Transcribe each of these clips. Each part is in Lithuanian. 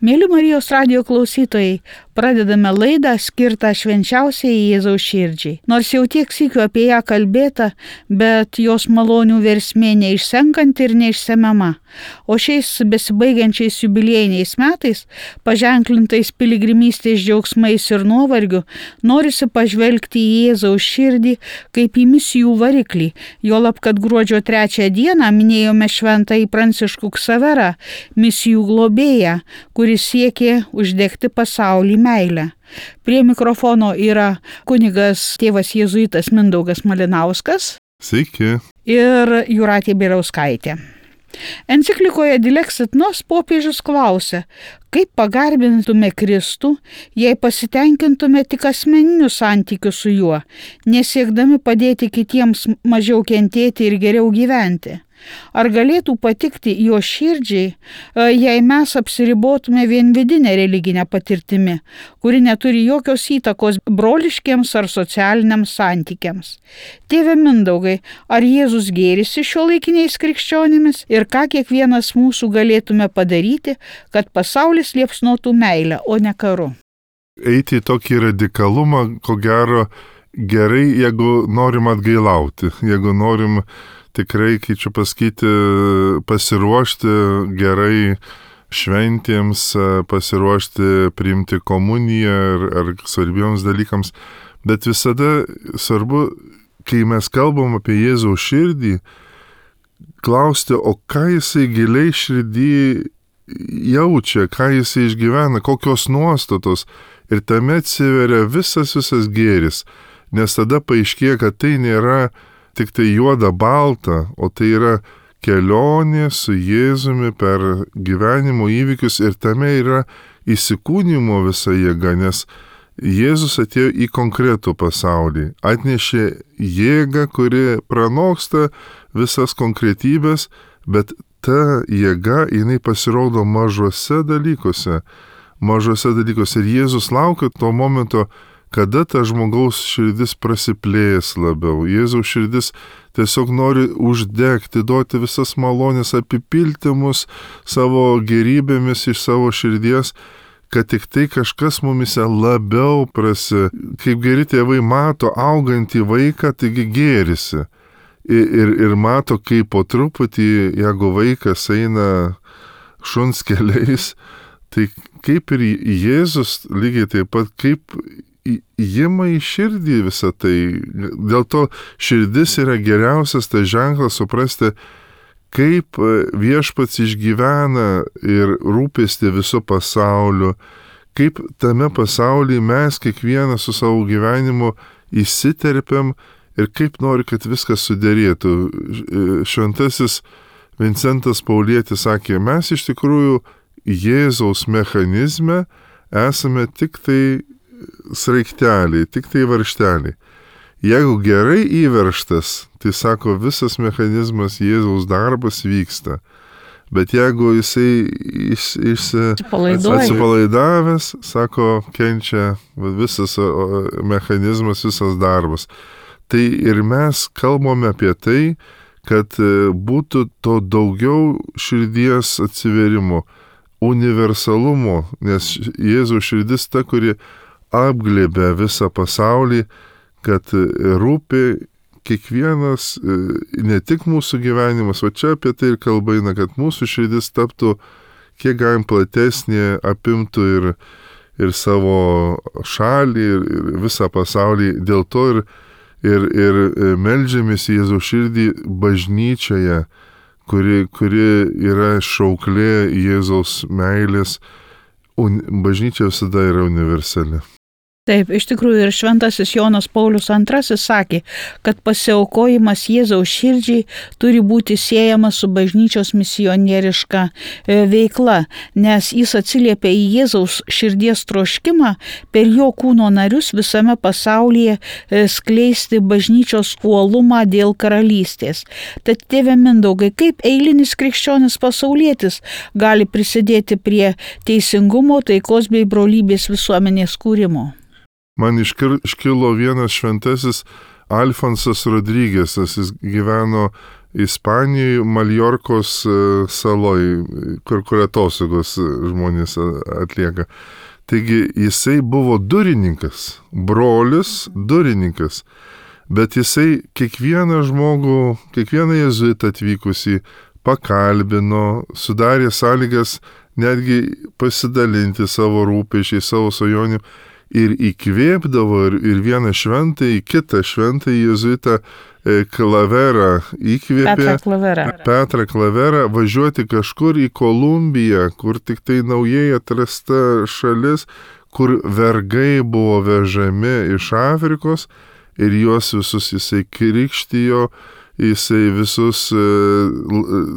Mėly Marijos radijo klausytojai, pradedame laidą skirtą švenčiausiai Jėzaus širdžiai. Nors jau tiek sykių apie ją kalbėta, bet jos malonių versmė neišsenkanti ir neišsemiama. O šiais besibaigiančiais jubiliejiniais metais, paženklintais piligrimystės džiaugsmais ir nuovargiu, norisi pažvelgti į Jėzaus širdį kaip į misijų variklį. Juolab, kad gruodžio 3 dieną minėjome šventąjį Pranciškų Ksaverą, misijų globėją, kuris siekė uždegti pasaulį meilę. Prie mikrofono yra kunigas tėvas jėzuitas Mindaugas Malinauskas. Sveiki. Ir Jūratė Bieliauskaitė. Enciklikoje Dilexit Nos popiežius klausia, kaip pagarbintume Kristų, jei pasitenkintume tik asmeniniu santykiu su juo, nesiekdami padėti kitiems mažiau kentėti ir geriau gyventi. Ar galėtų patikti jo širdžiai, jei mes apsiribotume vien vidinę religinę patirtimi, kuri neturi jokios įtakos broliškiems ar socialiniams santykiams? Tėve Mindaugai, ar Jėzus gėrisi šiuolaikiniais krikščionimis ir ką kiekvienas mūsų galėtume padaryti, kad pasaulis liepsnotų meilę, o ne karu? Eiti į tokį radikalumą, ko gero, gerai, jeigu norim atgailauti, jeigu norim tikrai, kaip čia pasakyti, pasiruošti gerai šventėms, pasiruošti priimti komuniją ar svarbiems dalykams. Bet visada svarbu, kai mes kalbam apie Jėzaus širdį, klausti, o ką jisai giliai širdį jaučia, ką jisai išgyvena, kokios nuostatos. Ir tame atsiveria visas gėris, nes tada paaiškėja, kad tai nėra tik tai juoda balta, o tai yra kelionė su Jėzumi per gyvenimo įvykius ir tame yra įsikūnimo visa jėga, nes Jėzus atėjo į konkretų pasaulį, atnešė jėgą, kuri pranoksta visas konkretybės, bet ta jėga, jinai pasirodo mažuose dalykuose ir Jėzus laukia to momento, kada ta žmogaus širdis prasiplės labiau. Jėzaus širdis tiesiog nori uždegti, duoti visas malonės, apipilti mus savo gerybėmis iš savo širdies, kad tik tai kažkas mumise labiau kaip geri tėvai mato augantį vaiką, taigi gėrisi. Ir mato, kaip po truputį, jeigu vaikas eina šuns keliais, tai kaip ir Jėzus lygiai taip pat, kaip įima į širdį visą tai. Dėl to širdis yra geriausias tas ženklas suprasti, kaip viešpats išgyvena ir rūpesti viso pasauliu, kaip tame pasaulyje mes kiekvienas su savo gyvenimu įsiterpiam ir kaip nori, kad viskas suderėtų. Šventasis Vincentas Paulietis sakė, mes iš tikrųjų Jėzaus mechanizme esame tik tai sraigteliai, tik tai varžteliai. Jeigu gerai įveržtas, tai sako, visas mechanizmas Jėzaus darbas vyksta. Bet jeigu jisai atsipalaidavęs, sako, kenčia visas mechanizmas, visas darbas. Tai ir mes kalbame apie tai, kad būtų to daugiau širdies atsiverimo, universalumo, nes Jėzaus širdis ta, kuri apglėbė visą pasaulį, kad rūpi kiekvienas, ne tik mūsų gyvenimas, o čia apie tai ir kalba eina, kad mūsų širdis taptų kiek galim platesnė, apimtų ir savo šalį, ir visą pasaulį. Dėl to ir meldžiamės Jėzaus širdį bažnyčioje, kuri yra šauklė Jėzaus meilės. Bažnyčia visada yra universali. Taip, iš tikrųjų ir šventasis Jonas Paulius II sakė, kad pasiaukojimas Jėzaus širdžiai turi būti siejamas su bažnyčios misionieriška veikla, nes jis atsiliepia į Jėzaus širdies troškimą per jo kūno narius visame pasaulyje skleisti bažnyčios uolumą dėl karalystės. Tad tėve Mindaugai, kaip eilinis krikščionis pasaulietis gali prisidėti prie teisingumo, taikos bei brolybės visuomenės kūrimo? Man iškilo vienas šventasis Alfonsas Rodrigesas, jis gyveno Ispanijoje, Maljorkos saloj, kur atostogos žmonės atlieka. Taigi jisai buvo durininkas, brolis durininkas, bet jisai kiekvieną žmogų, kiekvieną jezuitą atvykusį pakalbino, sudarė sąlygas netgi pasidalinti savo rūpesčiai, savo svajonių ir įkvėpdavo ir vieną šventąjį, kitą šventąjį jezuitą Klaverą įkvėpė, Petrą Klaverą, važiuoti kažkur į Kolumbiją, kur tik tai naujai atrasta šalis, kur vergai buvo vežami iš Afrikos ir juos visus jisai krikštijo, jisai visus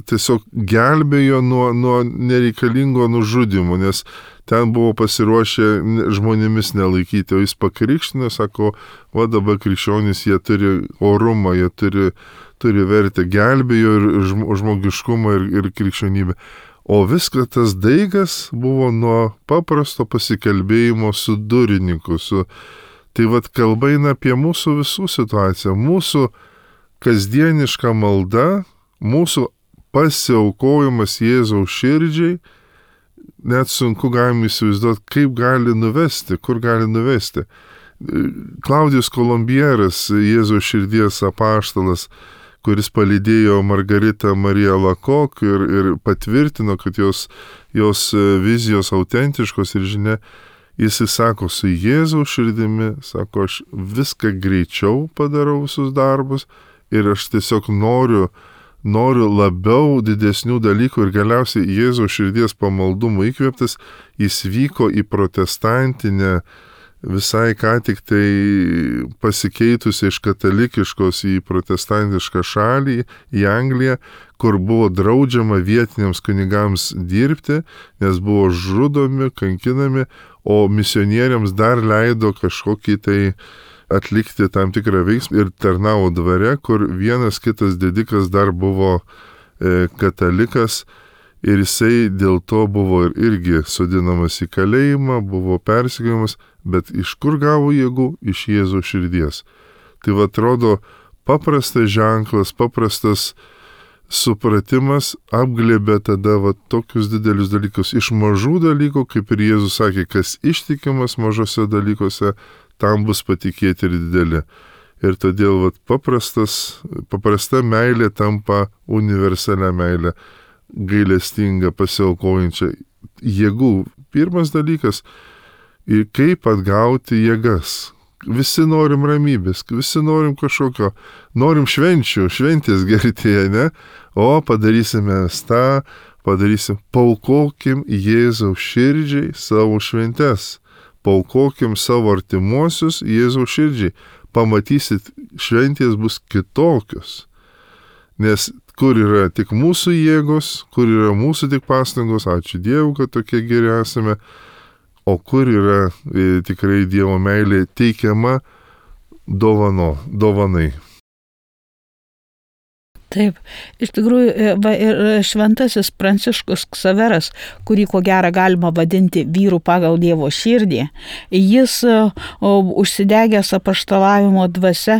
tiesiog gelbėjo nuo nereikalingo nužudimo, nes ten buvo pasiruošę žmonėmis nelaikyti, o jis pakrikštino, sako, va dabar krikščionys, jie turi orumą, jie turi vertę, gelbėjo ir žmogiškumą ir krikščionybę. O viskas tas daigas buvo nuo paprasto pasikalbėjimo su durininku. Tai vat kalba eina apie mūsų visų situaciją, mūsų kasdieniška malda, mūsų pasiaukojimas Jėzaus širdžiai, net sunku galim įsivaizduoti, kaip gali nuvesti, kur gali nuvesti. Klaudijus Kolumbieras, Jėzaus širdies apaštalas, kuris palydėjo Margaritą Mariją Lakok ir patvirtino, kad jos vizijos autentiškos ir žinia, jis sako, su Jėzaus širdimi, sako, aš viską greičiau padarau visus darbus ir aš tiesiog noriu labiau didesnių dalykų ir galiausiai Jėzaus širdies pamaldumo įkvėptas, jis vyko į protestantinę, visai ką tik tai pasikeitusi iš katalikiškos į protestantišką šalį, į Angliją, kur buvo draudžiama vietiniams kunigams dirbti, nes buvo žudomi, kankinami, o misionieriams dar leido kažkokį tai atlikti tam tikrą veiksmą ir tarnavo dvare, kur vienas kitas didikas dar buvo katalikas ir jisai dėl to buvo irgi sodinamas į kalėjimą, buvo persekiojamas, bet iš kur gavo jėgų? Iš Jėzaus širdies. Tai va atrodo paprastas ženklas, paprastas supratimas apglėbė tada va tokius didelius dalykus. Iš mažų dalykų, kaip ir Jėzus sakė, kas ištikimas mažose dalykuose, tam bus patikėti ir dideli. Ir todėl vat, paprasta meilė tampa universalia meilė, gailestinga, pasiaukojančia jėgų. Pirmas dalykas, kaip atgauti jėgas. Visi norim ramybės, visi norim kažkokio, norim šventės gertėje, ne? O padarysime tą, paukokim Jėzaus širdžiai savo šventes. Paukokim savo artimuosius Jėzaus širdžiai. Pamatysit, šventės bus kitokios. Nes kur yra tik mūsų jėgos, kur yra mūsų tik pastangos, ačiū Dievui, kad tokie geri esame, o kur yra tikrai Dievo meilė teikiama dovanai. Taip, iš tikrųjų, ir šventasis Pranciškus Ksaveras, kurį ko gero galima vadinti vyru pagal Dievo širdį, jis užsidegęs apaštalavimo dvasia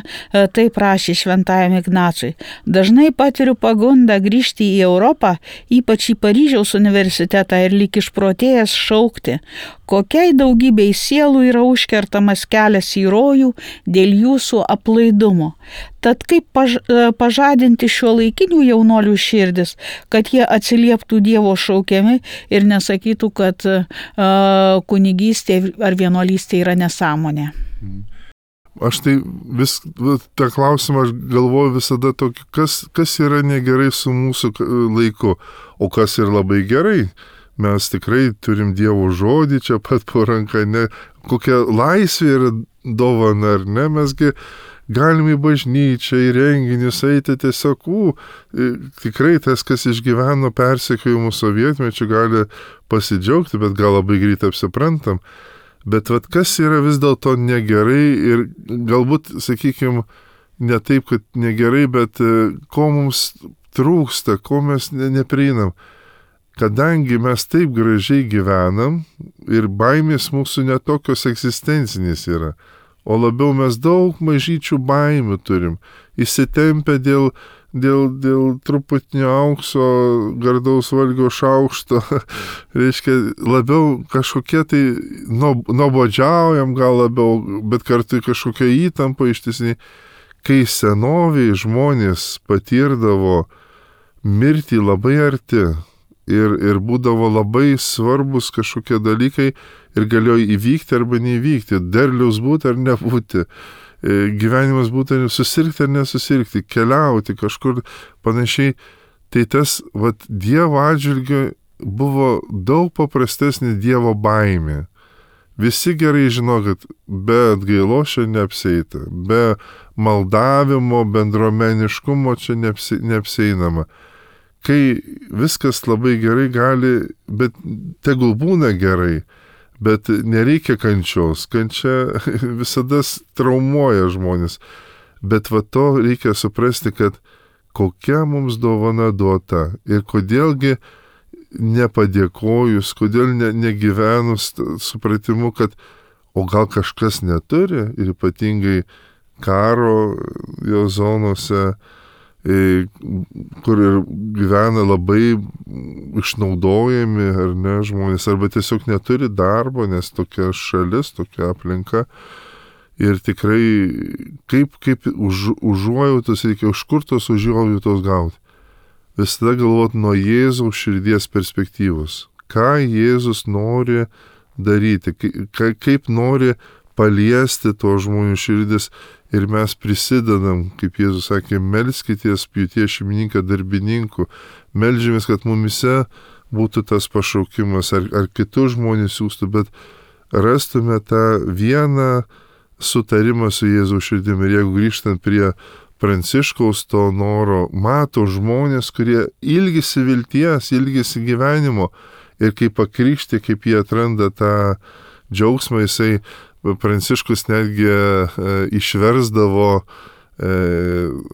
taip rašė šventajam Ignacui. Dažnai patiriu pagundą grįžti į Europą, ypač į Paryžiaus universitetą ir lyg išprotėjęs šaukti, kokiai daugybei sielų yra užkertamas kelias į rojų dėl jūsų aplaidumo. Tad kaip pažadinti šiuolaikinių jaunuolių širdis, kad jie atsilieptų Dievo šaukiami ir nesakytų, kad kunigystė ar vienuolystė yra nesąmonė. Aš tai tą klausimą aš galvoju visada tokį, kas yra negerai su mūsų laiku, o kas yra labai gerai. Mes tikrai turim Dievo žodį čia pat po ranką, ne, kokia laisvė yra dovana, ar ne, mesgi galime į bažnyčią, į renginius eiti tiesiog, tikrai tas, kas išgyveno persekiojimų sovietmečių, gali pasidžiaugti, bet gal labai greit apsiprantam. Bet vat kas yra vis dėlto negerai ir galbūt, sakykime, ne taip, kad negerai, bet ko mums trūksta, ko mes neprieinam. Kadangi mes taip gražiai gyvenam ir baimės mūsų netokios egzistencinės yra, o labiau mes daug mažyčių baimių turim, įsitempę dėl dėl truputinio aukso, gardaus valgio šaukšto, reiškia, labiau kažkokie tai nuobodžiaujam gal labiau, bet kartu kažkokia įtampa ištisiniai. Kai senoviai žmonės patirdavo mirtį labai arti ir būdavo labai svarbus kažkokie dalykai ir galėjo įvykti arba neįvykti, derliaus būti ar nebūti, gyvenimas būti susirgti ar nesusirgti, keliauti kažkur panašiai, tai tas Dievo atžvilgiu buvo daug paprastesnė Dievo baimė. Visi gerai žino, kad be atgailos čia neapsieita, be maldavimo, bendruomeniškumo čia neapsieinama. Kai viskas labai gerai gali, bet tegul būna gerai, bet nereikia kančios. Kančia visada traumuoja žmonės. Bet to reikia suprasti, kad kokia mums dovana duota ir kodėlgi nepadėkojus, kodėl negyvenus supratimu, kad o gal kažkas neturi ir ypatingai karo jo zonose, kur ir gyvena labai išnaudojami ar ne žmonės, arba tiesiog neturi darbo, nes tokia šalis, tokia aplinka. Ir tikrai kaip užuojautos reikia, už kur tos užuojautos gauti. Visada galvot nuo Jėzaus širdies perspektyvos. Ką Jėzus nori daryti, kaip nori paliesti to žmonių širdis ir mes prisidedam, kaip Jėzus sakė, melskitės pjūties šeimininką darbininkų, meldžiamės, kad mumise būtų tas pašaukimas ar kitus žmonės siūstų, bet rastume tą vieną sutarimą su Jėzaus širdimi. Ir jeigu grįžtant prie Pranciškaus to noro, mato žmonės, kurie ilgisi vilties, ilgisi gyvenimo ir kaip pakrikšti, kaip jie atranda tą džiaugsmą, jisai Pranciškus netgi išversdavo,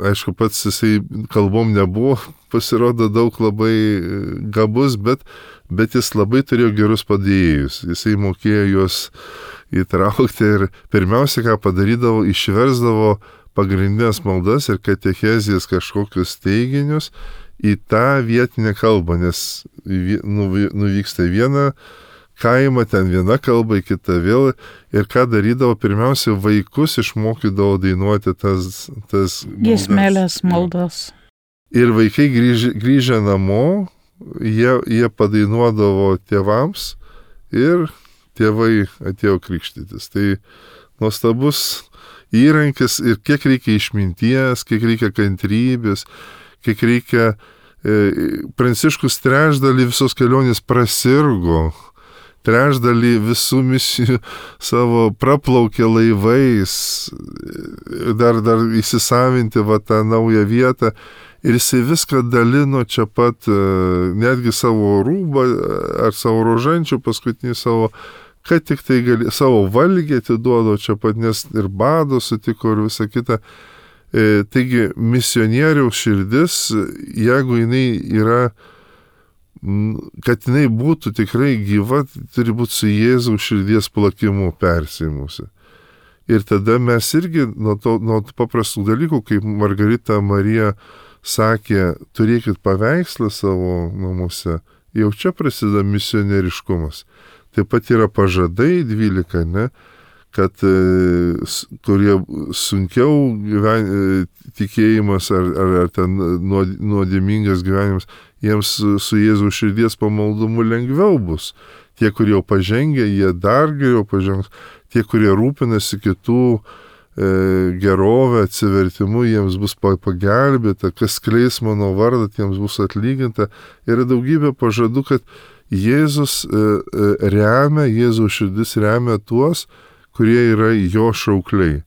aišku, pats jisai kalbom nebuvo, pasirodo daug labai gabus, bet jis labai turėjo gerus padėjėjus, jisai mokėjo juos įtraukti ir pirmiausia, ką padarydavo, išversdavo pagrindinės maldas ir katechezijas kažkokius teiginius į tą vietinę kalbą, nes nuvyksta į vieną kaimą, ten viena kalba, į kitą vėl. Ir ką darydavo, pirmiausia, vaikus išmokydavo dainuoti tas giesmelės maldas. Ir vaikai grįžę namo, jie padainuodavo tėvams ir tėvai atėjo krikštytis. Tai nuostabus įrankis ir kiek reikia išminties, kiek reikia kantrybės, kiek reikia. Pranciškus trečdalį visos kelionės prasirgo, trečdalį visų misijų savo praplaukė laivais, dar įsisavinti tą naują vietą. Ir jisai viską dalino čia pat, netgi savo rūbą ar savo rožančių, paskutinį savo, kad tik tai savo valgį atiduodo čia pat, nes ir bado sutiko ir visa kita. Taigi misionieriaus širdis, jeigu jinai yra, kad jinai būtų tikrai gyva, turi būti su Jėzaus širdies plakimu persimusi. Ir tada mes irgi nuo tų paprastų dalykų, kaip Margarita Marija sakė, turėkit paveikslą savo namuose, jau čia prasideda misionieriškumas. Taip pat yra pažadai 12, ne, kad kurie sunkiau tikėjimas ar ten nuodėmingas gyvenimas, jiems su Jėzaus širdies pamaldumu lengviau bus. Tie, kurie jau pažengia, jie dar geriau pažengs. Tie, kurie rūpinasi kitų gerovę, atsivertimu, jiems bus pagelbėta, kas skleis mano vardą, jiems bus atlyginta. Yra daugybė pažadų, kad Jėzus remia, Jėzaus širdis remia tuos, kurie yra jo šaukliai.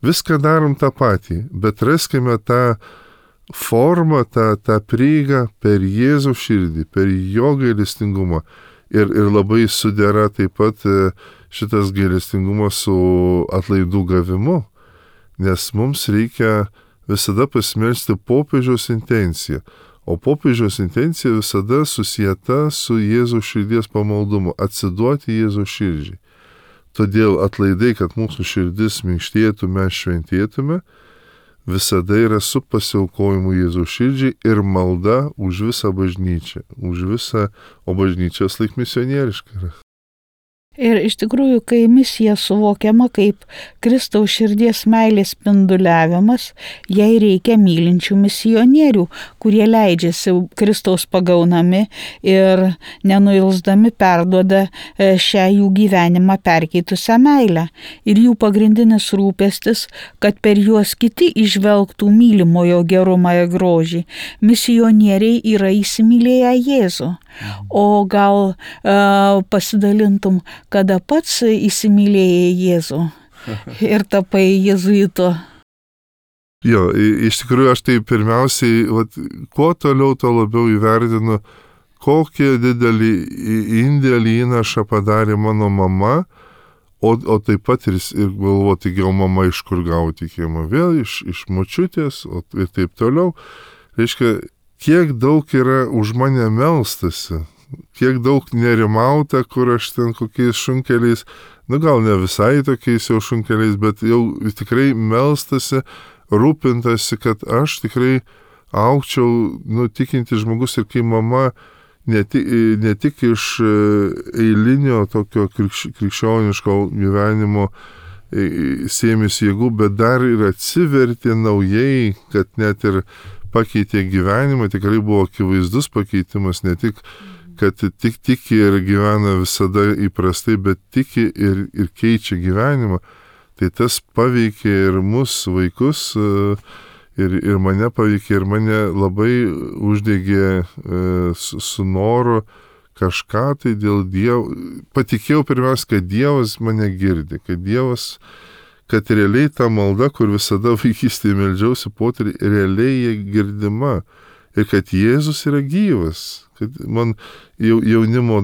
Viską darom tą patį, bet raskime tą formą, tą prieigą per Jėzaus širdį, per jo gailestingumą. Ir labai sudera taip pat šitas gailestingumas su atlaidų gavimu, nes mums reikia visada pasimelsti popiežiaus intenciją. O popiežiaus intencija visada susieta su Jėzaus širdies pamaldumu, atsiduoti Jėzaus širdžiai. Todėl atlaidai, kad mūsų širdis minkštėtų, mes šventėtume, visada yra su pasiaukojimu Jėzaus širdžiai ir malda už visą bažnyčią, už visą, o bažnyčios laik misionieriška yra. Ir iš tikrųjų, kai misija suvokiama kaip Kristaus širdies meilės spinduliavimas, jai reikia mylinčių misionierių, kurie leidžiasi Kristaus pagaunami ir nenuilsdami perduoda šią jų gyvenimą perkeitusią meilę. Ir jų pagrindinis rūpestis, kad per juos kiti įžvelgtų mylimojo gerumą ir grožį. Misionieriai yra įsimylėję Jėzų. O gal pasidalintum, kada pats įsimylėjai Jėzų ir tapai jėzuito? Jo, iš tikrųjų aš tai pirmiausiai, kuo toliau, to labiau įvertinu, kokį didelį indėlį įnašą padarė mano mama, o taip pat ir galvoti, gal mama iš kur gauti tikėjimą, vėl iš močiutės ir taip toliau. Reiškia, kiek daug yra už mane melstasi, kiek daug nerimauta, kur aš ten kokiais šunkeliais, gal ne visai tokiais jau šunkeliais, bet jau tikrai melstasi, rūpintasi, kad aš tikrai augčiau, tikintis žmogus ir kai mama ne tik iš eilinio tokio krikščioniško gyvenimo sėmėsi jėgų, bet dar ir atsivertė naujai, kad net ir pakeitė gyvenimą, tikrai buvo akivaizdus pakeitimas, ne tik, kad tik tiki ir gyvena visada įprastai, bet tiki ir keičia gyvenimą. Tai tas paveikė ir mus, vaikus, ir mane paveikė, ir mane labai uždegė su noru kažką tai dėl Dievo. Patikėjau pirmiausia, kad Dievas mane girdi, kad realiai ta malda, kur visada vaikystėje meldžiausi potyrį, realiai jie girdima. Ir kad Jėzus yra gyvas. Kad man jaunimo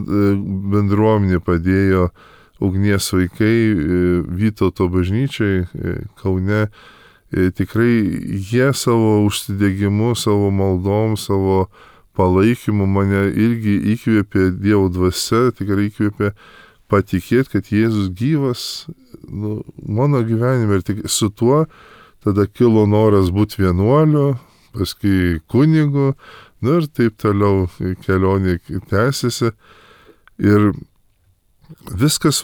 bendruomenė padėjo ugnies vaikai Vytauto bažnyčiai Kaune. Tikrai jie savo užsidegimu, savo maldom, savo palaikymu mane irgi įkvėpė Dievo dvasia, tikrai įkvėpė patikėti, kad Jėzus gyvas mano gyvenime. Ir tik su tuo tada kilo noras būti vienuoliu, paskui kunigu, ir taip toliau kelionė tęsiasi. Ir viskas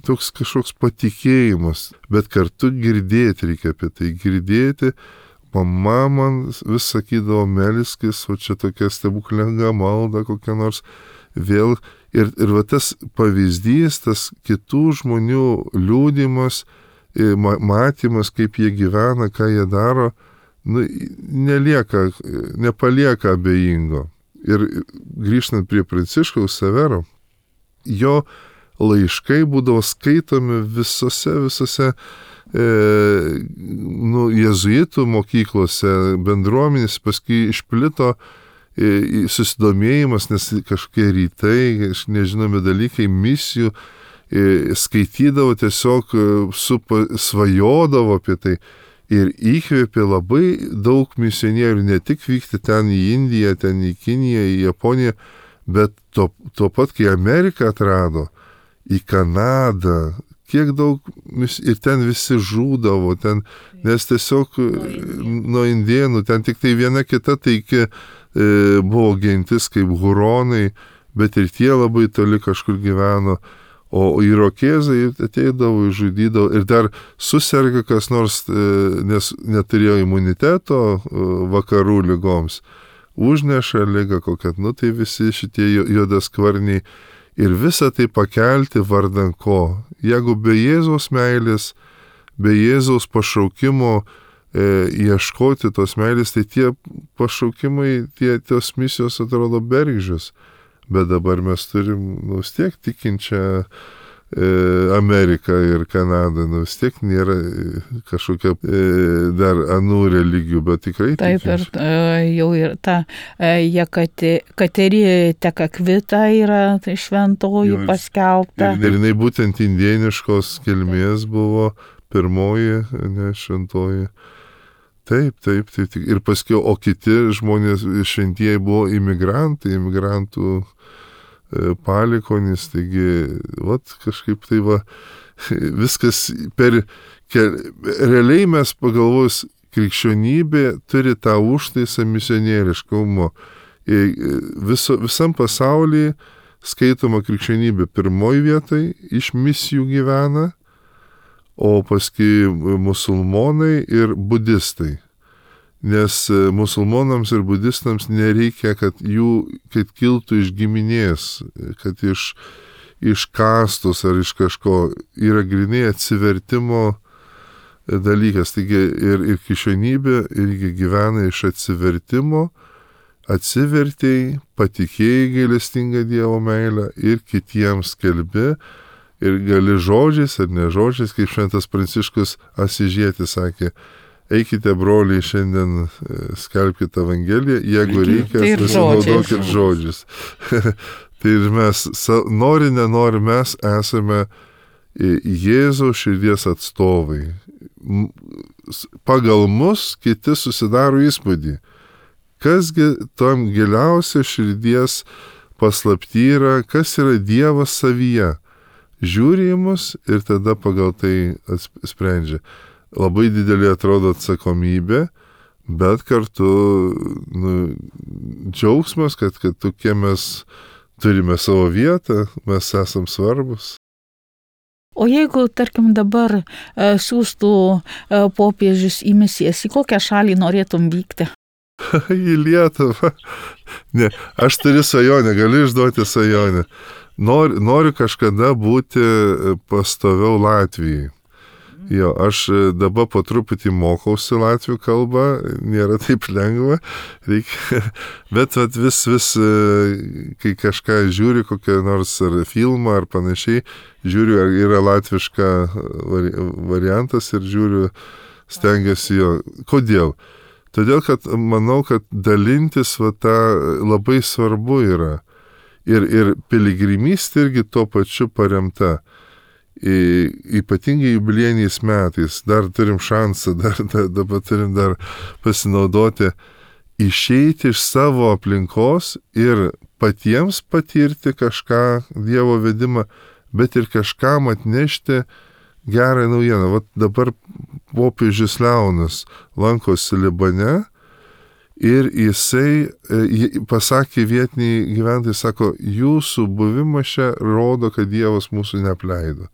toks kažkoks patikėjimas, bet kartu girdėti reikia apie tai. Girdėti, mama man vis sakydavo, melskis, o čia tokia stebuklinga malda kokia nors vėl. Ir va tas pavyzdys, tas kitų žmonių liūdimas, matymas, kaip jie gyvena, ką jie daro, nepalieka abejingo. Ir grįžtant prie Pranciškaus Severo, jo laiškai būdavo skaitomi visose jėzuitų mokyklose, bendruomenės, paskui išplito susidomėjimas, nes kažkokie rytai, nežinomi dalykai, misijų, skaitydavo tiesiog, svajodavo apie tai ir įkvėpė labai daug misionierių, ne tik vykti ten į Indiją, ten į Kiniją, į Japoniją, bet tuo pat, kai Ameriką atrado, į Kanadą, kiek daug, ir ten visi žūdavo, ten, nes tiesiog nuo indėnų, ten tik tai viena kita taiki buvo gentis kaip huronai, bet ir tie labai toli kažkur gyveno, o irokėzai ateidavo, žudydavo ir dar suserga kas nors, nes neturėjo imuniteto vakarų ligoms, užneša ligą kokią, tai visi šitie juodaskvarniai ir visą tai pakelti vardan ko. Jeigu be Jėzaus meilės, be Jėzaus pašaukimo ieškoti tos meilės, tai tie pašaukimai, tos misijos atrodo bergždžios. Bet dabar mes turim, vis tiek tikinčią Ameriką ir Kanadą, vis tiek nėra kažkokia dar anų religijų, bet tikrai tikinčių. Taip, ir jau ir ta Kateri Tekakvita yra šventoji paskelbta. Ir jinai būtent indieniškos kilmės buvo pirmoji, šventoji. Taip. Ir paskui, o kiti žmonės šventieji buvo imigrantų palikonis, taigi, kažkaip tai viskas realiai mes pagalvojus, krikščionybė turi tą užtaisą misionieriškumo. Visam pasaulyje skaitoma krikščionybė pirmoji vietai, iš misijų gyvena, o paskui musulmonai ir budistai. Nes musulmonams ir budistams nereikia, kad kiltų iš giminės, kad iš kastos ar iš kažko, yra grynai atsivertimo dalykas. Taigi ir krikščionybė irgi gyvena iš atsivertimo, atsivertėjai, patikėjai gailestingą Dievo meilę ir kitiems skelbi. Ir gali žodžiais ar ne žodžiais, kaip šventas Pranciškus Asižietis sakė, eikite, broliai, šiandien skelbkite Evangeliją, jeigu reikia, pasinaudokit žodžius. Tai ir mes, nori, nenori, mes esame Jėzaus širdies atstovai. Pagal mus kiti susidaro įspūdį. Kasgi tam giliausia širdies paslapty yra, kas yra Dievas savyje. Žiūri į mus ir tada pagal tai sprendžia. Labai didelė atrodo atsakomybė, bet kartu džiaugsmas, kad tokie mes turime savo vietą, mes esam svarbus. O jeigu, tarkim, dabar siūstų popiežius į misijas, į kokią šalį norėtum vykti? Į Lietuvą. Ne, aš turiu svajonę, galiu išduoti svajonę. Noriu kažkada būti pastoviau Latvijai. Jo, aš dabar po truputį mokausi latvių kalbą, nėra taip lengva, bet vis, kai kažką žiūri, kokią nors ar filmą ar panašiai, žiūriu, ar yra latviška variantas ir žiūriu, stengiuosi jo. Kodėl? Todėl, kad manau, kad dalintis tą labai svarbu yra. Ir piligrimystė irgi tuo pačiu paremta. Ypatingai jubiliejiniais metais, dar turim šansą, dabar turim dar pasinaudoti, išeiti iš savo aplinkos ir patiems patirti kažką, Dievo vedimą, bet ir kažkam atnešti gerą naujieną. Vat dabar popiežius Leonas lankosi Libane ir jisai pasakė vietiniai gyventojai, sako, jūsų buvimas čia rodo, kad Dievas mūsų neapleido.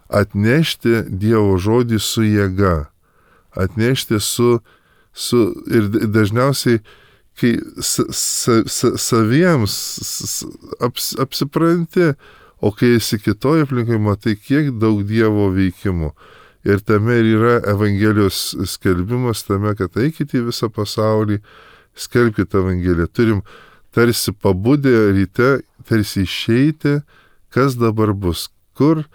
Atnešti Dievo žodį su jėga, atnešti ir dažniausiai, kai saviems apsipranti, o kai esi kitoje aplinkoje, matai, kiek daug Dievo veikimų. Ir tame ir yra Evangelijos skelbimas, tame, kad eikite į visą pasaulį, skelbkite Evangeliją. Turim tarsi pabudę ryte, tarsi išeiti, kas dabar bus, kur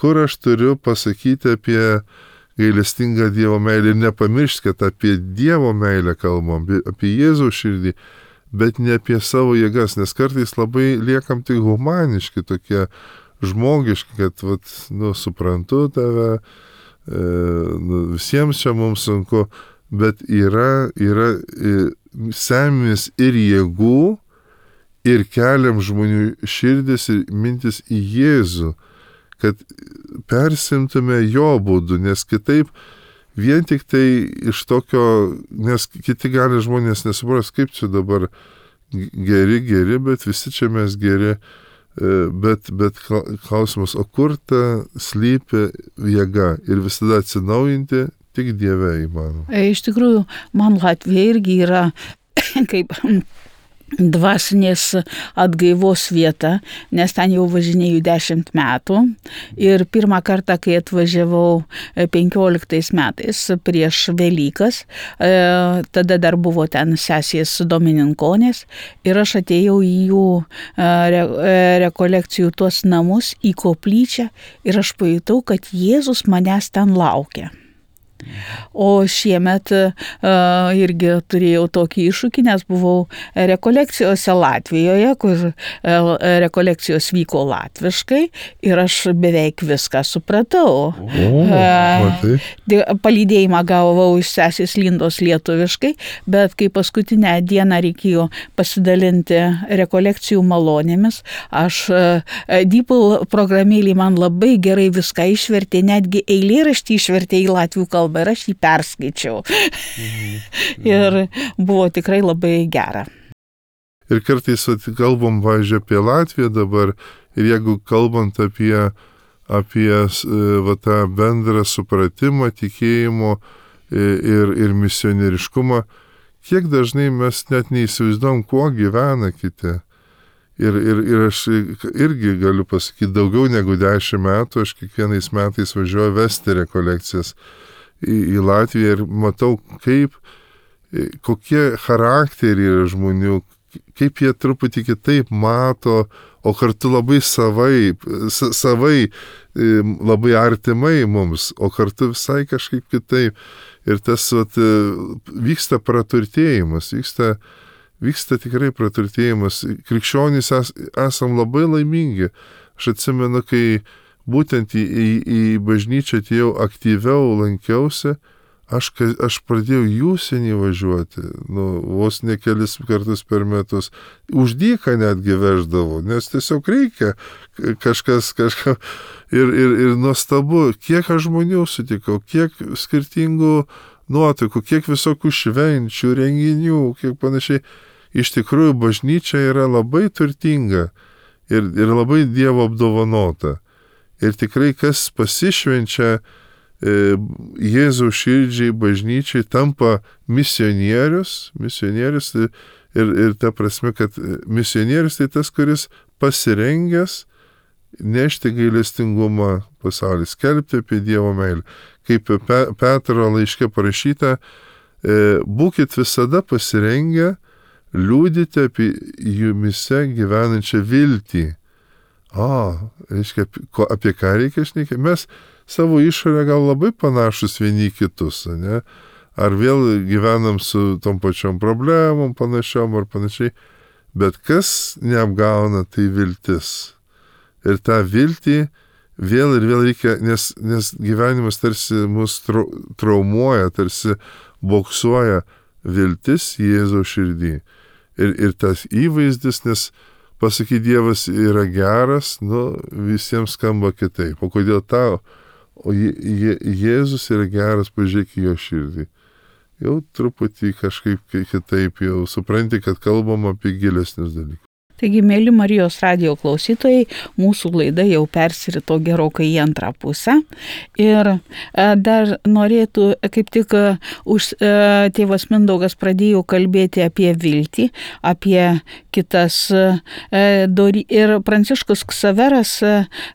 aš turiu pasakyti apie gailestingą Dievo meilę ir nepamiršti, kad apie Dievo meilę kalbam, apie Jėzaus širdį, bet ne apie savo jėgas, nes kartais labai liekam tik humaniški, tokie žmogiški, kad, suprantu tave, visiems čia mums sunku, bet yra semės ir jėgų, ir keliam žmonių širdis ir mintis į Jėzų, kad persimtume jo būdu, nes kitaip vien tik tai iš tokio, nes kiti gali žmonės nesupras, kaip čia dabar geri, bet visi čia mes geri. Bet klausimas, o kur ta slypi jėga ir visada atsinaujinti tik Dieve įmanoma. Iš tikrųjų, man Latvija irgi yra kaip dvasinės atgaivos vieta, nes ten jau važinėjau 10 metų ir pirmą kartą, kai atvažiavau 15 metais prieš Velykas, tada dar buvo ten sesės domininkonės ir aš atėjau į jų rekolekcijų tuos namus, į koplyčią ir aš pajutau, kad Jėzus manęs ten laukia. O šiemet irgi turėjau tokį iššūkį, nes buvau rekolekcijose Latvijoje, kur rekolekcijos vyko latviškai ir aš beveik viską supratau. Palydėjimą gavau iš sesės Lindos lietuviškai, bet kai paskutinę dieną reikėjo pasidalinti rekolekcijų malonėmis, aš DeepL programėlį man labai gerai viską išvertė, netgi eilėraštį išvertė į latvių kalbą ir aš jį perskaičiau. Ir buvo tikrai labai gera. Ir kartais kalbam, važiuoju, apie Latviją dabar, ir jeigu kalbant apie tą bendrą supratimą, tikėjimo ir misionieriškumą, kiek dažnai mes net neįsivaizduom, kuo gyvena kiti. Ir aš irgi galiu pasakyti, daugiau negu 10 metų aš kiekvienais metais važiuoju vesti rekolekcijas į Latviją ir matau, kokie charakteriai yra žmonių, kaip jie truputį kitaip mato, o kartu labai savai, labai artimai mums, o kartu visai kažkaip kitaip. Ir tas vyksta praturtėjimas, vyksta tikrai praturtėjimas. Krikščionys esam labai laimingi. Aš atsimenu, kai būtent į bažnyčią atėjau aktyviau, lankiausi, aš pradėjau į užsienį važiuoti, vos ne kelis kartus per metus. Už dyką netgi veždavau, nes tiesiog reikia kažką. Ir nuostabu, kiek aš žmonių sutikau, kiek skirtingų nuotaikų, kiek visokių švenčių, renginių, kiek panašiai. Iš tikrųjų, bažnyčia yra labai turtinga ir labai Dievo apdovanota. Ir tikrai, kas pasišvenčia Jėzaus širdžiai, bažnyčiai, tampa misionierius ir ta prasme, kad misionierius tai tas, kuris pasirengęs nešti gailestingumą pasaulį, skelbti apie Dievo meilę. Kaip Petro laiške parašyta, būkit visada pasirengę liudyti apie jumise gyvenančią viltį. Reiškia, apie ką reikia šnekėti? Mes savo išorę gal labai panašus vieni kitus, ne? Ar vėl gyvenam su tom pačiom problemom, panašiom ar panašiai. Bet kas neapgauna, tai viltis. Ir tą viltį vėl ir vėl reikia, nes gyvenimas tarsi mus traumuoja, tarsi boksuoja viltis Jėzaus širdį. Ir tas įvaizdis, nes pasakyti Dievas yra geras, visiems skamba kitaip. O kodėl tau? O Jėzus yra geras, pažiūrėk į jo širdį. Jau truputį kažkaip kitaip, jau supranti, kad kalbam apie gilesnius dalykus. Taigi, mėly Marijos radijo klausytojai, mūsų laida jau persirito gerokai į antrą pusę. Ir dar norėtų, kaip tik tėvas Mindaugas pradėjo kalbėti apie viltį, apie kitas. Ir Pranciškus Ksaveras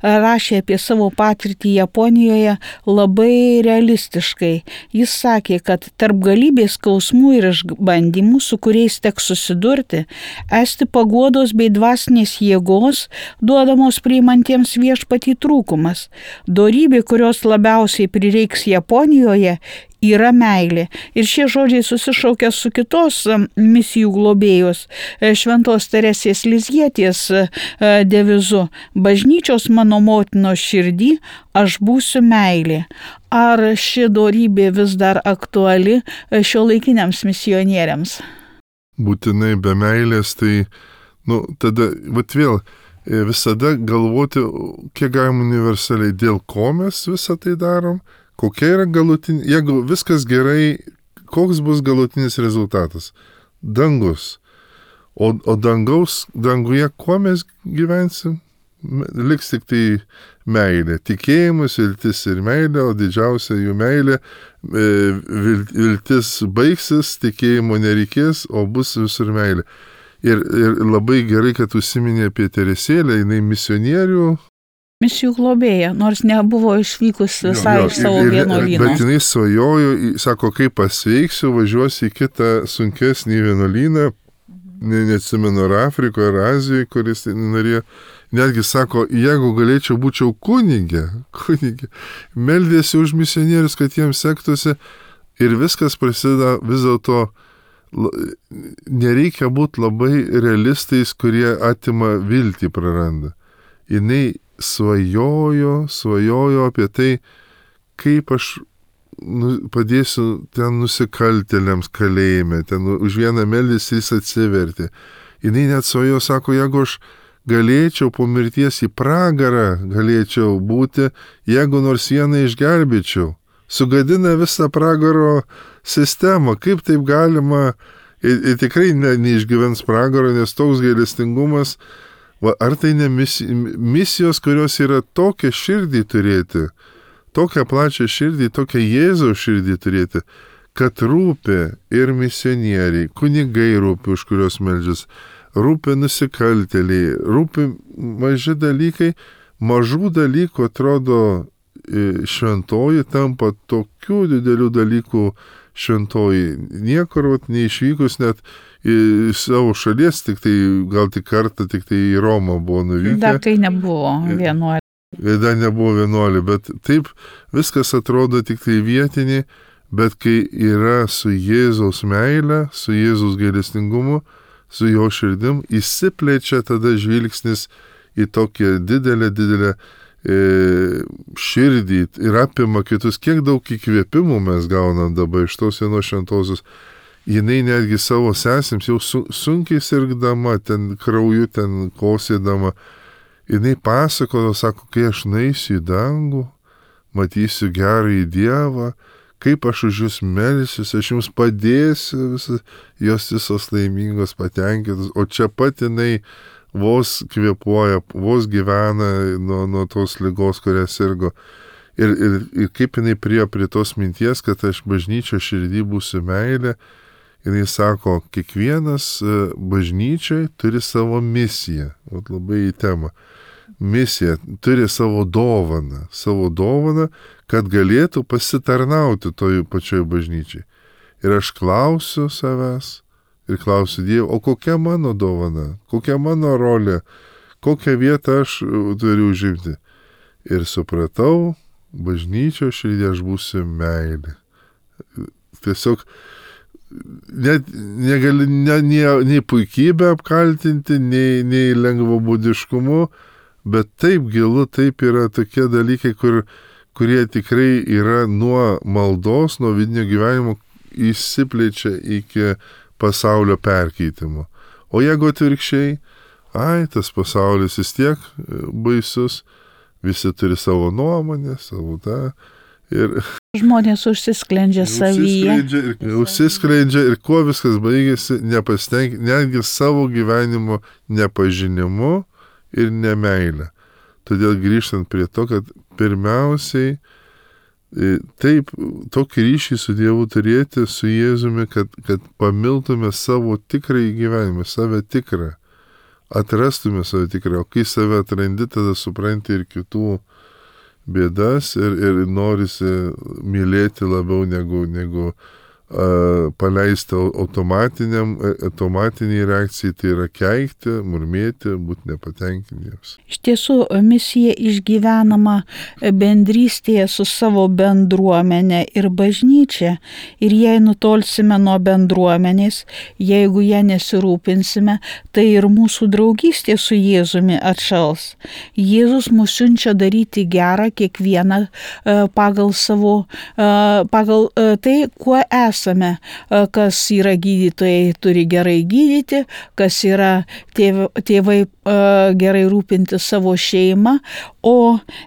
rašė apie savo patirtį Japonijoje labai realistiškai. Jis sakė, kad tarp galybės skausmų ir išbandymų, su kuriais teks susidurti, esti paguodos bei dvasinės jėgos duodamos priimantiems viešpatį trūkumas. Dorybė, kurios labiausiai prireiks Japonijoje, yra meilė. Ir šie žodžiai susišaukia su kitos misijų globėjos Šventos Teresės Lizjietės devizu: bažnyčios mano motinos širdį, aš būsiu meilė. Ar ši dorybė vis dar aktuali šiuolaikiniams misionieriams? Būtinai be meilės, tai tada vėl visada galvoti, kiek galim universaliai, dėl ko mes visą tai darom, kokia yra galutinė, jeigu viskas gerai, koks bus galutinis rezultatas? Dangus. O danguje kuo mes gyvensim? Liks tik tai meilė. Tikėjimas, viltis ir meilė, o didžiausia jų meilė, viltis baigsis, tikėjimo nereikės, o bus visur meilė. Ir labai gerai, kad užsiminė apie Teresėlę, jinai misionierių. Misijų globėja, nors nebuvo išvykus visai iš savo vienuolyno. Bet jinai svajojo, sako, kai pasveiksiu, važiuosiu į kitą sunkesnį vienuolyną neatsimenu, ar Afrikoje, ar Azijoje, kuris norėjo, netgi sako, jeigu galėčiau būčiau kunigė, meldėsi už misionierius, kad jiems sektųsi ir viskas prasideda vis dėlto, nereikia būti labai realistais, kurie atima viltį praranda. Jinai svajojo apie tai, kaip aš padėsiu ten nusikaltėliams kalėjime, ten už vieną meldės jis atsivertė. Jinai net svajojo, sako, jeigu aš galėčiau po mirties į pragarą galėčiau būti, jeigu nors vieną išgelbėčiau. Sugadina visą pragaro sistemą. Kaip taip galima, ir tikrai neišgyvens pragaro, nes toks gailestingumas, ar tai ne misijos, kurios yra tokią širdį turėti, tokią plačią širdį, tokią Jėzaus širdį turėti, kad rūpi ir misionieriai, kunigai rūpi, už kurios meldžias, rūpi nusikaltėliai, rūpi maži dalykai, mažų dalykų atrodo šventoji tampa tokių didelių dalykų šventoji. Niekur neišvykus net į savo šalies, gal tik kartą tik į Romą buvo nuvykę. Dar kai nebuvo vienuolė. Dar nebuvo vienuolė, bet taip viskas atrodo tik vietinį, bet kai yra su Jėzaus meile, su Jėzaus gailestingumu, su jo širdim, įsiplečia tada žvilgsnis į tokią didelę širdį ir apima kitus. Kiek daug įkvėpimų mes gaunam dabar iš tos vienos šventosios. Jinai netgi savo sesėms jau sunkiai sirgdama, ten krauju, ten kosėdama, jinai pasakojo, sako, kai aš naisiu į dangų, matysiu gerąjį Dievą, kaip aš už jūs melsiuosi, aš jums padėsiu, jos visos laimingos, patenkintos, o čia pat jinai vos kvėpuoja, vos gyvena nuo tos ligos, kurią sirgo. Ir kaip jinai prie tos minties, kad aš bažnyčio širdį būsiu meilė, jinai sako, kiekvienas bažnyčiai turi savo misiją, labai į temą. Misija turi savo dovaną, kad galėtų pasitarnauti toj pačioj bažnyčiai. Ir aš klausiu savęs ir klausiu Dievo, o kokia mano dovana, kokia mano rolė, kokią vietą aš turiu užimti. Ir supratau, bažnyčio širdį aš būsiu meilė. Tiesiog negali nei puikybę apkaltinti, nei lengvabūdiškumu, bet taip gilu, taip yra tokie dalykai, kurie tikrai yra nuo maldos, nuo vidinio gyvenimo įsiplečia iki pasaulio perkeitimo. O jeigu atvirkščiai, tas pasaulis vis tiek baisus, visi turi savo nuomonę, savo tą. Ir žmonės užsisklendžia savyje. Užsisklendžia ir kuo viskas baigėsi, netgi savo gyvenimo nepažinimu ir nemeilę. Todėl grįžtant prie to, kad pirmiausiai taip, tokį ryšį su Dievu turėti, su Jėzumi, kad pamiltume savo tikrąjį gyvenimą, save tikrą, atrastume save tikrą, o kai save atrandi, tada supranti ir kitų bėdas ir norisi mylėti labiau negu paleisti automatiniai reakcijai, tai yra keikti, murmėti, būti nepatenkintiems. Iš tiesų, misija išgyvenama bendrystėje su savo bendruomenė ir bažnyčia. Ir jei nutolsime nuo bendruomenės, jeigu ją nesirūpinsime, tai ir mūsų draugystė su Jėzumi atšals. Jėzus mus siunčia daryti gerą kiekvieną pagal tai, kuo esame. Kas yra gydytojai, turi gerai gydyti, kas yra tėvai gerai rūpinti savo šeimą,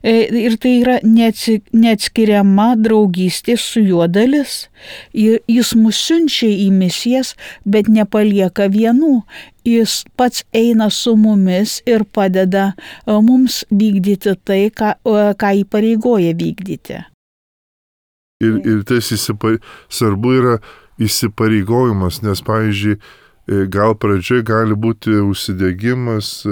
ir tai yra neatskiriama draugystė su juo dalis. Jis mus siunčia į misijas, bet nepalieka vienų. Jis pats eina su mumis ir padeda mums vykdyti tai, ką įpareigoja vykdyti. Ir tas svarbu yra įsipareigojimas, nes, pavyzdžiui, gal pradžioje gali būti užsidegimas,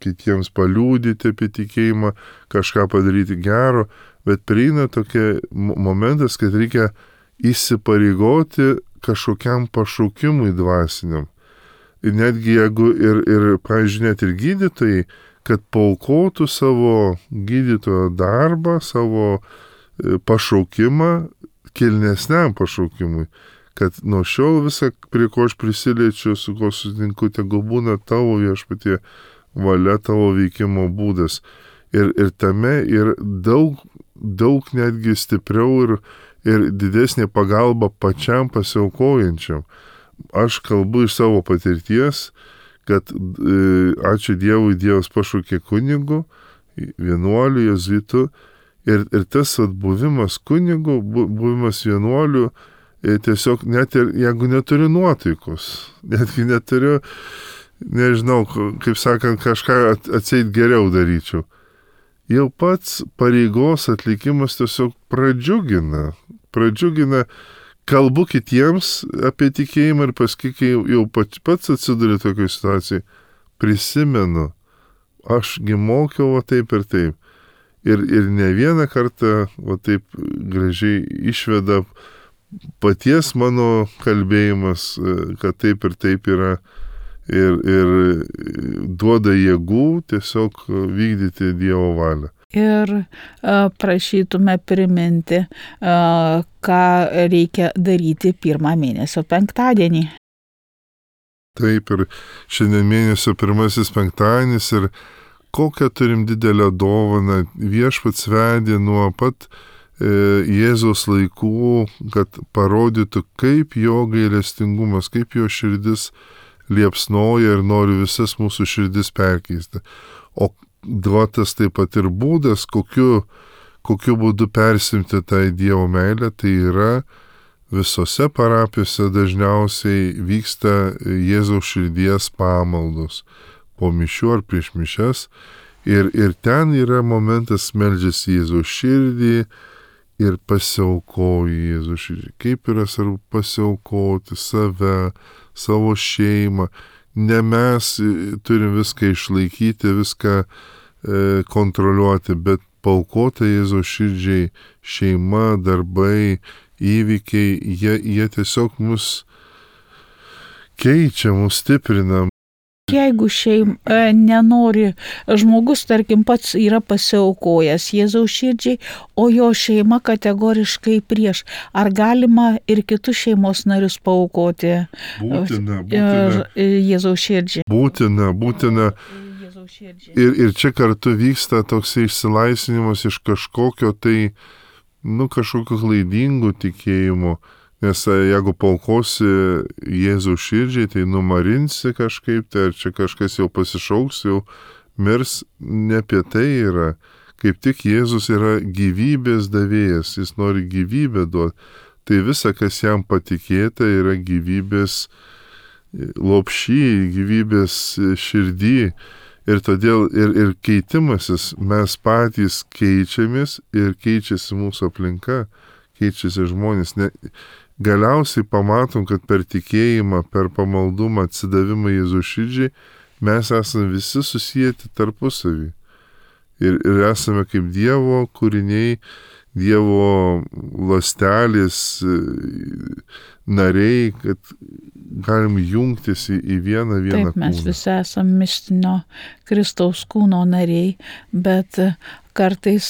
kitiems paliūdyti apie tikėjimą, kažką padaryti gero, bet prieina tokia momentas, kad reikia įsipareigoti kažkokiam pašaukimui dvasiniam. netgi jeigu pavyzdžiui, net ir gydytojai, kad paaukotų savo gydytojo darbą, savo pašaukimą kilnesniam pašaukimui, kad nuo šiol visą, prie ko aš prisiliečiu, su ko sutinku, tegul būna tavo viešpatie valia, tavo veikimo būdas. Ir tame ir daug netgi stipriau ir didesnė pagalba pačiam pasiaukojančiam. Aš kalbu iš savo patirties, kad ačiū Dievui, Dievas pašaukė kunigu, vienuoliu, jėzuitu, ir tas buvimas kunigu, buvimas vienuoliu, tiesiog net ir jeigu neturiu nuotaikos, netgi neturiu, nežinau, kaip sakant, kažką atseit geriau daryčiau. Jau pats pareigos atlikimas tiesiog pradžiugina, kalbu kitiems apie tikėjimą ir paskui, kai jau pats atsiduriu tokioje situacijoje, prisimenu, ašgi mokiau va taip ir taip. Ir ne vieną kartą va taip gražiai išveda paties mano kalbėjimas, kad taip ir taip yra. Ir duoda jėgų tiesiog vykdyti Dievo valią. Ir prašytume priminti, ką reikia daryti pirmą mėnesio penktadienį. Taip, ir šiandien mėnesio pirmasis penktadienis ir kokią turim didelę dovaną. Viešpats vedė nuo pat Jėzaus laikų, kad parodytų, kaip jo gailestingumas, kaip jo širdis liepsnoja ir nori visas mūsų širdis perkeisti. O duotas taip pat ir būdas, kokiu būdu persimti tą Dievo meilę, tai yra visose parapijose dažniausiai vyksta Jėzaus širdies pamaldos po mišių ar prieš mišias. Ir ten yra momentas meldžiasi Jėzaus širdį ir pasiaukoji Jėzaus širdį. Kaip yra svarbu pasiaukoti save, savo šeimą. Ne mes turim viską išlaikyti, viską kontroliuoti, bet paaukota Jėzaus širdžiai šeima, darbai, įvykiai, jie tiesiog mus keičia, mus stiprina. Jeigu nenori, žmogus, tarkim, pats yra pasiaukojęs Jėzaus širdžiai, o jo šeima kategoriškai prieš, ar galima ir kitus šeimos narius paaukoti Būtina. Jėzaus širdžiai? Būtina. Ir čia kartu vyksta toks išsilaisvinimas iš kažkokio kažkokio klaidingų tikėjimo. Nes jeigu paaukosi Jėzaus širdžiai, tai numarinsi kažkaip, tai ar čia kažkas jau pasišauks, jau mirs, ne apie tai yra. Kaip tik Jėzus yra gyvybės davėjas, jis nori gyvybę duoti. Tai visa, kas jam patikėta, yra gyvybės lopšy, gyvybės širdį. Ir todėl ir keitimasis, mes patys keičiamės ir keičiasi mūsų aplinka, keičiasi žmonės. Galiausiai pamatom, kad per tikėjimą, per pamaldumą, atsidavimą Jėzaus širdžiai, mes esame visi susijęti tarpusavį. Ir esame kaip Dievo kūriniai, Dievo ląstelės nariai, kad galim jungtis į vieną kūną. Taip, mes visi esame mistinio Kristaus kūno nariai, bet kartais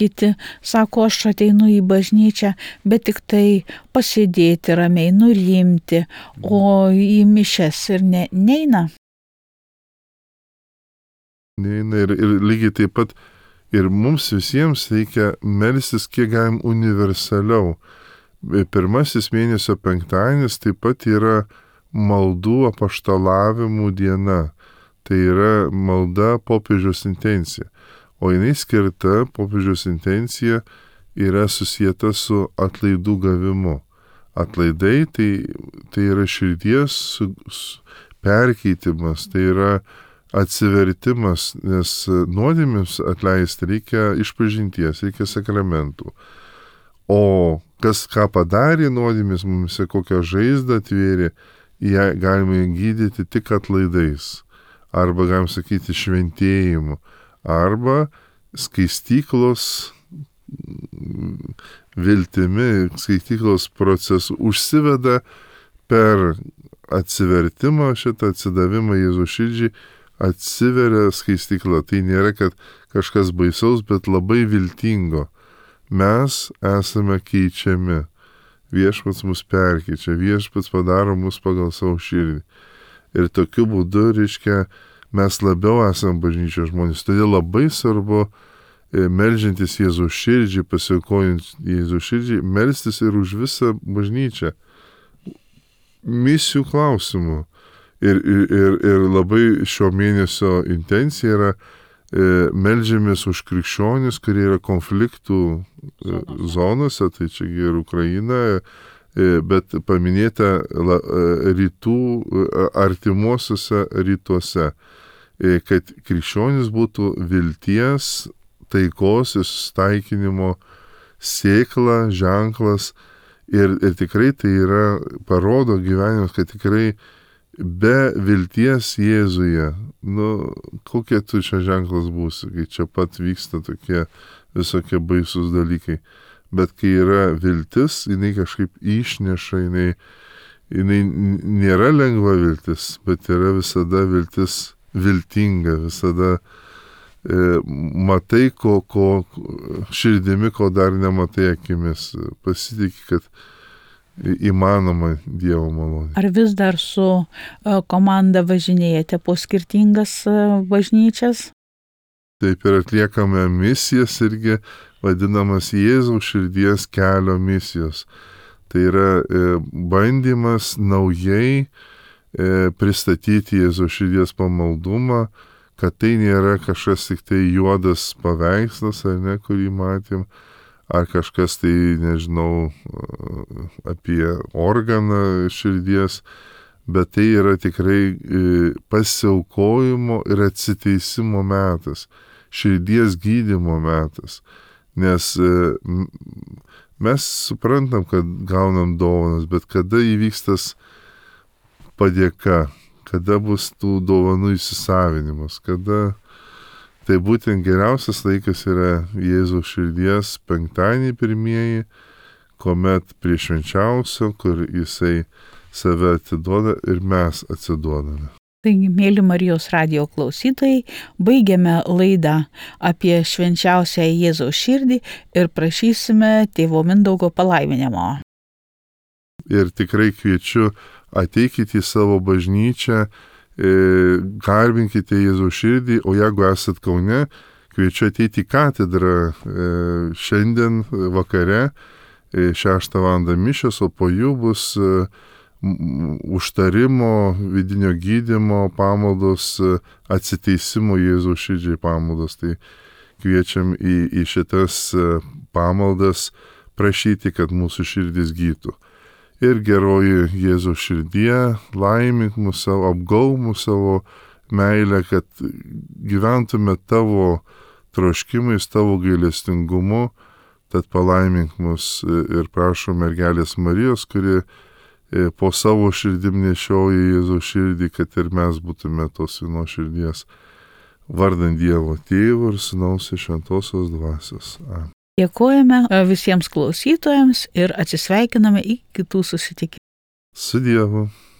kiti sako, aš ateinu į bažnyčią, bet tik tai pasėdėti ramiai, nurimti, o į mišias ir neina. Neina ir lygiai taip pat ir mums visiems reikia melstis kiek galim universaliau. Pirmasis mėnesio penktadienis taip pat yra maldų apaštalavimų diena. Tai yra malda popiežiaus intencija. O jinai skirta, popiežiaus intencija yra susijęta su atlaidų gavimu. Atlaidai tai yra širdies perkeitimas, tai yra atsivertimas, nes nuodėmėms atleisti reikia išpažinties, reikia sakramentų. O ką padarė nuodėmės, mums kokią žaizdą atvėrė, ją galime gydyti tik atlaidais. Arba, galim sakyti, šventėjimu. Arba skaistyklos viltimi, skaistyklos procesu užsiveda per atsivertimą, šitą atsidavimą Jėzaus širdžiai, atsiveria skaistykla. Tai nėra, kad kažkas baisaus, bet labai viltingo. Mes esame keičiami. Viešpats mus perkeičia, viešpats padaro mus pagal savo širdį. Ir tokiu būdu, reiškia, mes labiau esame bažnyčios žmonės. Todėl labai svarbu, meldžiantis Jėzaus širdžiai, pasiaukojant Jėzaus širdžiai, melstis ir už visą bažnyčią. Misijų klausimų. Ir labai šio mėnesio intencija yra meldžiamės už krikščionis, kurie yra konfliktų zonose, tai čia ir Ukraina, bet paminėta rytų, artimuosiuose rytuose, kad krikščionis būtų vilties, taikos ir susitaikinimo sėkla, ženklas ir tikrai tai yra, parodo gyvenimas, kad tikrai be vilties Jėzuje, kokie tu čia ženklas būsi, kai čia pat vyksta tokie visokie baisus dalykai. Bet kai yra viltis, jinai kažkaip išneša, jinai nėra lengva viltis, bet yra visada viltis viltinga, visada matai, ko širdimi, ko dar nematai akimis. Pasitikė, kad įmanoma Dievo malonė. Ar vis dar su komanda važinėjate po skirtingas bažnyčias? Taip ir atliekame misijas irgi vadinamas Jėzaus širdies kelio misijos. Tai yra bandymas naujai pristatyti Jėzaus širdies pamaldumą, kad tai nėra kažkas tik tai juodas paveikslas, ar ne, kurį matėm, ar kažkas tai, nežinau, apie organą širdies, bet tai yra tikrai pasiaukojimo ir atsiteisimo metas, širdies gydymo metas. Nes mes suprantam, kad gaunam dovanas, bet kada įvyks tas padėka, kada bus tų dovanų įsisavinimas, kada tai būtent geriausias laikas yra Jėzaus širdies penktadienį pirmieji, kuomet prie švenčiausio, kur jisai save atiduoda ir mes atsiduodame. Taigi, mėly Marijos radijo klausytojai, baigiame laidą apie švenčiausią Jėzaus širdį ir prašysime tėvo Mindaugo palaiminimo. Ir tikrai kviečiu, ateikite į savo bažnyčią, garbinkite Jėzaus širdį, o jeigu esat Kaune, kviečiu ateiti į katedrą šiandien vakare, 6 val. Mišios, o po jų bus užtarimo, vidinio gydymo pamaldos, atsiteisimo Jėzaus širdžiai pamaldos. Tai kviečiam į šitas pamaldas prašyti, kad mūsų širdis gytų. Ir geroji Jėzaus širdie, laimink mus savo, apgauk mus savo meilę, kad gyventume tavo troškimais, tavo gailestingumu, tad palaimink mus ir prašom mergelės Marijos, kuri po savo širdim nešioja Jėzaus širdį, kad ir mes būtume tos vienos širdies. Vardant Dievo Tėvo ir Sūnaus ir Šventosios Dvasios. Amen. Dėkojame visiems klausytojams ir atsisveikiname iki kitų susitikimų. Su Dievu.